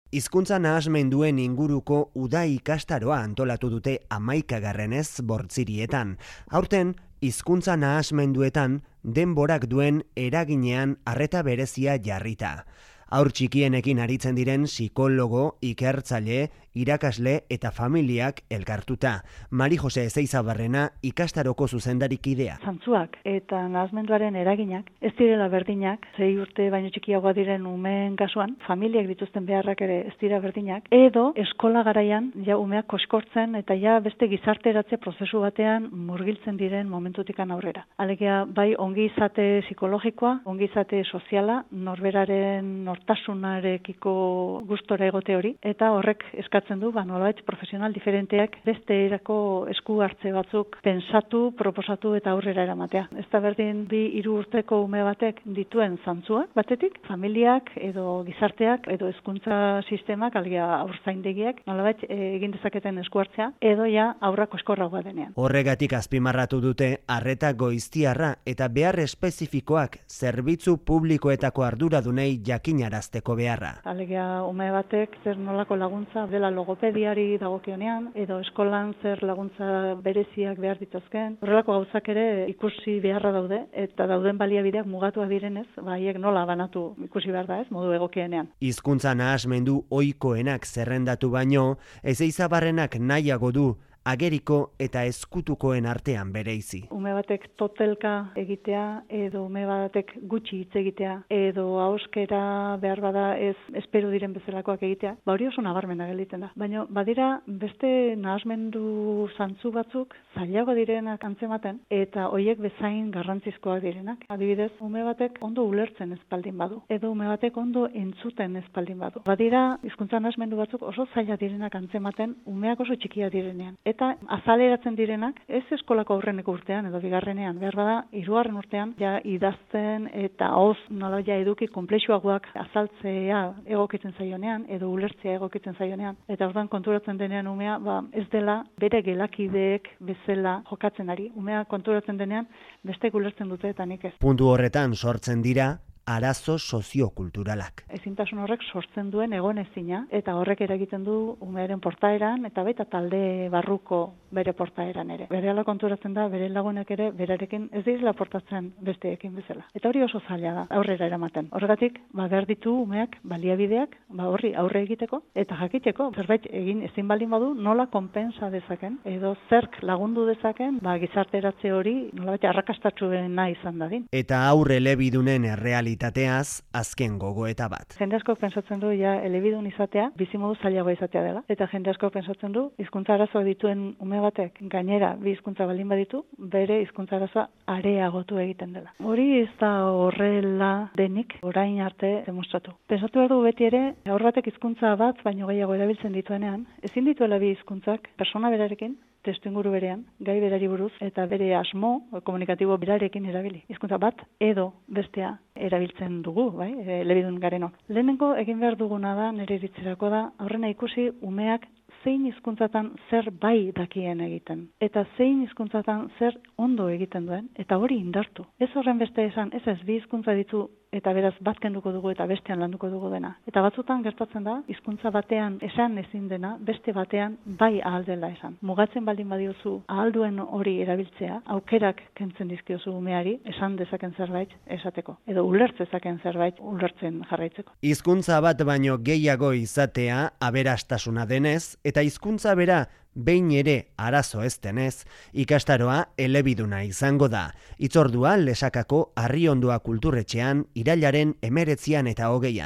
Hizkuntza nahasmenduen inguruko uda ikastaroa antolatu dute 11. Bortzirietan. Aurten, hizkuntza nahasmenduetan denborak duen eraginean arreta berezia jarrita. Haur txikienekin aritzen diren psikologo, ikertzaile, irakasle eta familiak elkartuta. Mari Jose Ezeizabarrena ikastaroko zuzendarikidea. Zantzuak eta nahasmenduaren eraginak ez direla berdinak, 6 urte baino txikiagoa diren umeen kasuan, familiak dituzten beharrak ere ez dira berdinak, edo eskola garaian ja umeak koskortzen eta ja beste gizarteratze prozesu batean murgiltzen diren momentutikan aurrera. Alegia bai ongizate psikologikoa, ongizate soziala, norberaren nortasunarekiko gustora egote hori, eta horrek eskatzen du, nolabait profesional diferenteak beste erako esku hartze batzuk pensatu, proposatu eta aurrera eramatea. Ez da berdin 2-3 urteko ume batek dituen zantzuak batetik, familiak edo gizarteak edo hezkuntza sistemak, alegia haurzaindegiak, nolabait egin dezaketen esku hartzea, edo ja aurrak koskorragoa denean. Horregatik azpimarratu dute arreta goiztiarra eta behar espezifikoak zerbitzu publikoetako arduradunei jakinarazteko beharra. Alegia ume batek zer nolako laguntza dela logopediari dagokionean edo eskolan zer laguntza bereziak behar dituzken. Horrelako gauzak ere ikusi beharra daude eta dauden baliabideak mugatuak direnez, haiek nola banatu ikusi behar da, modu egokienean. Hizkuntza nahasmendu ohikoenak zerrendatu baino, Ezeizabarrenak nahiago du ageriko eta ezkutukoen artean bereizi. Ume batek totelka egitea, edo ume batek gutxi hitz egitea, edo ahoskera behar bada ez espero diren bezalakoak egitea, hori oso nabarmena gelditzen da. Baina badira beste nahasmendu zantzu batzuk zailago direnak antzematen, eta hoiek bezain garrantzizkoak direnak. Adibidez, ume batek ondo ulertzen ez baldin badu, edo ume batek ondo entzuten ez baldin badu. Badira hizkuntza nahasmendu batzuk oso zaila direnak antzematen, umeak oso txikia direnean. Eta azaleratzen direnak, ez eskolako aurreneko urtean edo bigarrenean, behar bada, 3. urtean, ja idazten eta hoz nola ja eduki konplexuagoak azaltzea egokitzen zaionean, edo ulertzea egokitzen zaionean. Eta orduan konturatzen denean umea, ez dela bere gelakideek bezala jokatzen ari. Umea konturatzen denean, bestek ulertzen dute eta nik ez. Puntu horretan sortzen dira arazo soziokulturalak. Ezintasun horrek sortzen duen egonezina eta horrek eragiten du umearen portaeran eta baita talde barruko bere portaeran ere. Berehala konturatzen da bere lagunek ere berarekin ez direla portatzen besteekin bezala. Eta hori oso zaila da aurrera eramaten. Horregatik behar ditu umeak baliabideak horri aurre egiteko eta jakiteko zerbait egin ezin baldin badu nola konpensa dezaken edo zerk lagundu dezaken gizarteratze hori nolabait arrakastatsuena izan dadin. Eta aurre elebidunen errealitateaz azken gogoeta bat. Jende asko pentsatzen du ja elebidun izatea bizimodu zailagoa izatea dela. Eta jende asko pentsatzen du hizkuntza arazoak dituen ume batek gainera 2 hizkuntza baldin baditu, bere hizkuntza arazoa areagotu egiten dela. Hori ez da horrela denik orain arte demostratu. Pentsatu behar du beti ere haur batek hizkuntza bat baino gehiago erabiltzen dituenean, ezin dituela 2 hizkuntzak persona berarekin testuinguru berean, gai berari buruz, eta bere asmo komunikatibo berarekin erabili. Hizkuntza bat edo bestea erabiltzen dugu, elebidun garenok. Lehenengo egin behar duguna da, nire iritzerako da, aurrena ikusi umeak zein hizkuntzatan zer bai dakien egiten. Eta zein hizkuntzatan zer ondo egiten duen, eta hori indartu. Ez horren beste esan, ez 2 hizkuntza ditu eta beraz bat kenduko dugu eta bestean landuko dugu dena. Eta batzutan gertatzen da, hizkuntza batean esan ezin dena, beste batean bai ahal dela esan. Mugatzen baldin badiozu ahal duen hori erabiltzea, aukerak kentzen dizkiozu umeari, esan dezaken zerbait esateko. Edo ulertzezaken zerbait ulertzen jarraitzeko. Hizkuntza bat baino gehiago izatea aberastasuna denez, eta hizkuntza bera behin ere arazo ez denez, ikastaroa elebiduna izango da. Hitzordua Lesakako Arriondua Kulturretxean irailaren 19 eta 20.